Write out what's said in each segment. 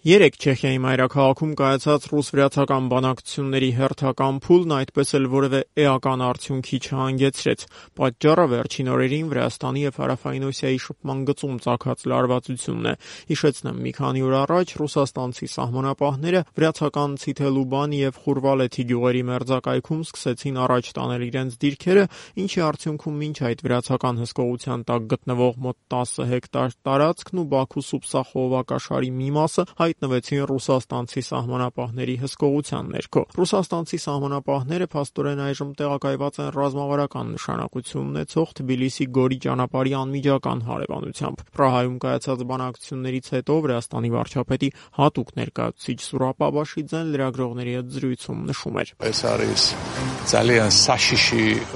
Երեկ Չեխիայի մայրաքաղաքում կայացած ռուս-վրացական բանակցությունների հերթական փուլն այդպես էլ որևէ էական արդյունքի չհանգեցրեց։ Պատճառը վերջին օրերին Վրաստանի և Հարավային Օսիայի շփման գծում ծագած լարվածությունն է։ Հիշեցնեմ, մի քանի օր առաջ ռուսաստանցի սահմանապահները վրացական Ցիթելուբանի և Խուրվալեթի գյուղերի մերձակայքում սկսեցին առաջ տանել իրենց դիրքերը, ինչի արդյունքում մինչ այդ վրացական հսկողության տակ գտնվող մոտ 10 հեկտար տարածքն ու Բաքու Սուպսա խողովակաշարի մի մասը հայտնվեցին ռուսաստանցի սահմանապահների հսկողության ներքո։ Ռուսաստանցի սահմանապահները փաստորեն այժմ տեղակայված են ռազմավարական նշանակություն ունեցող Թբիլիսի Գորի ճանապարհի անմիջական հարևանությամբ։ Պրահայում կայացած բանակցություններից հետո Վրաստանի վարչապետի հատուկ ներկայացուցիչ Սուրապ Աբաշիձեն լրագրողների հետ զրույցում նշում էր.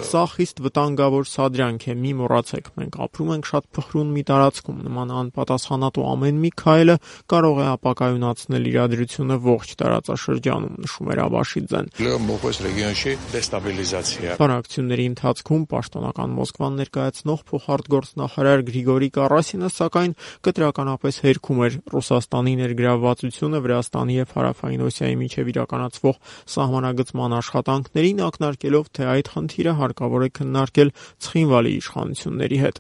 «Սա խիստ վտանգավոր սադրանք է, մի մոռացեք, մենք ապրում ենք շատ փխրուն մի տարածքում, նման անպատասխանատու ամեն մի քայլը կարող է ապակայունացնել իրադրությունը ողջ տարածաշրջանում», նշում էր Աբաշիձեն։ Բանակցությունների ընթացքում պաշտոնական Մոսկվան ներկայացնող փոխարտգործնախարար Գրիգորի Կարասինը, սակայն, կտրականապես հերքում էր Ռուսաստանի ներգրավվածությունը Վրաստանի և Հարավային Օսիայի միջև իրականացվող սահմանագծման աշխատանքներին, ակնարկելով, թե այդ խնդիրը հարկավոր է քննարկել Ցխինվալի իշխանությունների հետ։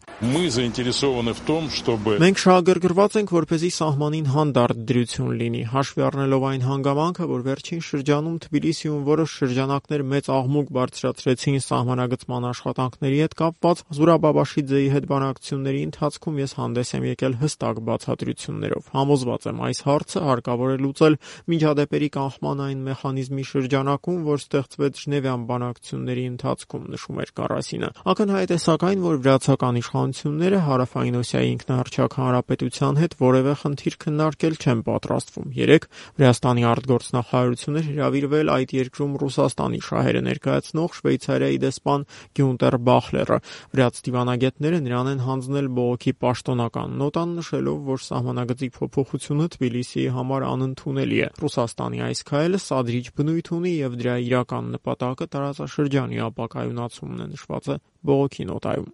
«Մենք շահագրգռված ենք, որպեսզի սահմանին հանդարտ դրություն լինի, հաշվի առնելով այն հանգամանքը, որ վերջին շրջանում Թբիլիսիում որոշ շրջանակներ մեծ աղմուկ բարձրացրեցին սահմանագծման աշխատանքների հետ կապված, Զուրաբ Աբաշիձեի հետ բանակցությունների ընթացքում ես հանդես եմ եկել հստակ բացատրություններով։ Համոզված եմ, այս հարցը հարկավոր է լուծել միջադեպերի կանխման այն մեխանիզմի շրջանակում, որ ստեղծվեց Ժնևյան բանակցությունների ընթացքում», նշում էր Կարասինը։ Ակնհայտ է սակայն, որ վրացական իշխանությունները Հարավային Օսիայի ինքնահռչակ հանրապետության հետ որևէ խնդիր քննարկել չեն պատրաստվում։ Երեկ Վրաստանի արտգործնախարարությունը հրավիրվել այդ երկրում Ռուսաստանի շահերը ներկայացնող Շվեյցարիայի դեսպան Գյունտեր Բախլերը։ Վրաց դիվանագետները նրան են հանձնել բողոքի պաշտոնական նոտան, նշելով, որ սահմանագծի փոփոխությունը Թբիլիսիի համար անընդունելի է։ Ռուսաստանի այս քայլը սադրիչ բնույթ ունի և դրա իրական նպատակը տարածաշրջանի ապակայունացումն է, նշված է բողոքի նոտայում։